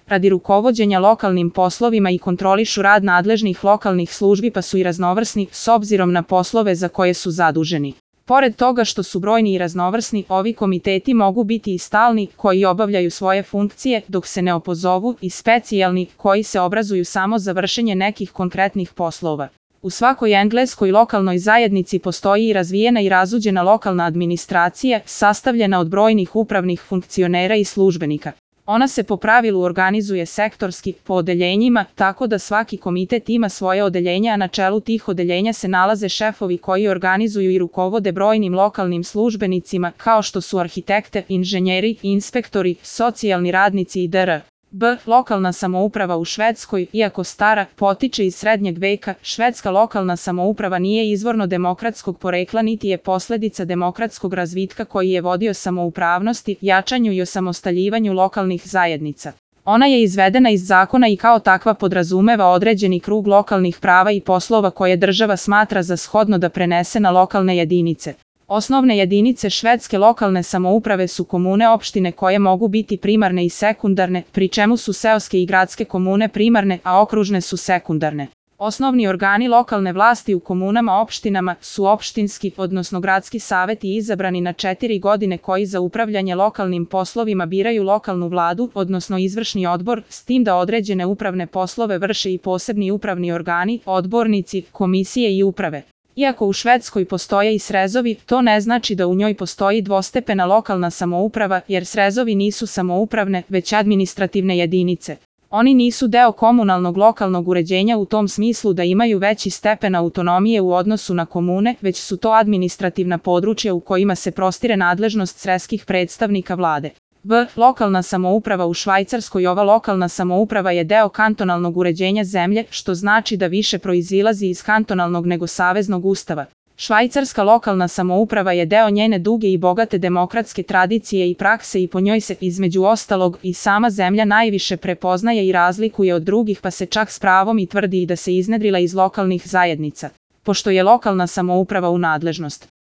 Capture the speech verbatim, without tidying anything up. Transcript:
radi rukovođenja lokalnim poslovima i kontrolišu rad nadležnih lokalnih službi pa su i raznovrsni s obzirom na poslove za koje su zaduženi. Pored toga što su brojni i raznovrsni, ovi komiteti mogu biti i stalni, koji obavljaju svoje funkcije, dok se ne opozovu, i specijalni, koji se obrazuju samo za vršenje nekih konkretnih poslova. U svakoj engleskoj lokalnoj zajednici postoji i razvijena i razuđena lokalna administracija, sastavljena od brojnih upravnih funkcionera i službenika. Ona se po pravilu organizuje sektorski, po odeljenjima, tako da svaki komitet ima svoje odeljenja, a na čelu tih odeljenja se nalaze šefovi koji organizuju i rukovode brojnim lokalnim službenicima, kao što su arhitekte, inženjeri, inspektori, socijalni radnici i dr. B. Lokalna samouprava u Švedskoj, iako stara, potiče iz srednjeg veka, švedska lokalna samouprava nije izvorno demokratskog porekla niti je posledica demokratskog razvitka koji je vodio samoupravnosti, jačanju i osamostaljivanju lokalnih zajednica. Ona je izvedena iz zakona i kao takva podrazumeva određeni krug lokalnih prava i poslova koje država smatra za shodno da prenese na lokalne jedinice. Osnovne jedinice švedske lokalne samouprave su komune opštine koje mogu biti primarne i sekundarne, pri čemu su seoske i gradske komune primarne, a okružne su sekundarne. Osnovni organi lokalne vlasti u komunama opštinama su opštinski, odnosno gradski saveti izabrani na četiri godine koji za upravljanje lokalnim poslovima biraju lokalnu vladu, odnosno izvršni odbor, s tim da određene upravne poslove vrše i posebni upravni organi, odbornici, komisije i uprave. Iako u Švedskoj postoje i srezovi, to ne znači da u njoj postoji dvostepena lokalna samouprava, jer srezovi nisu samoupravne, već administrativne jedinice. Oni nisu deo komunalnog lokalnog uređenja u tom smislu da imaju veći stepen autonomije u odnosu na komune, već su to administrativna područja u kojima se prostire nadležnost sredskih predstavnika vlade. B. Lokalna samouprava u Švajcarskoj. Ova lokalna samouprava je deo kantonalnog uređenja zemlje, što znači da više proizilazi iz kantonalnog nego saveznog ustava. Švajcarska lokalna samouprava je deo njene duge i bogate demokratske tradicije i prakse i po njoj se, između ostalog, i sama zemlja najviše prepoznaje i razlikuje od drugih, pa se čak s pravom i tvrdi i da se iznedrila iz lokalnih zajednica. Pošto je lokalna samouprava u nadležnost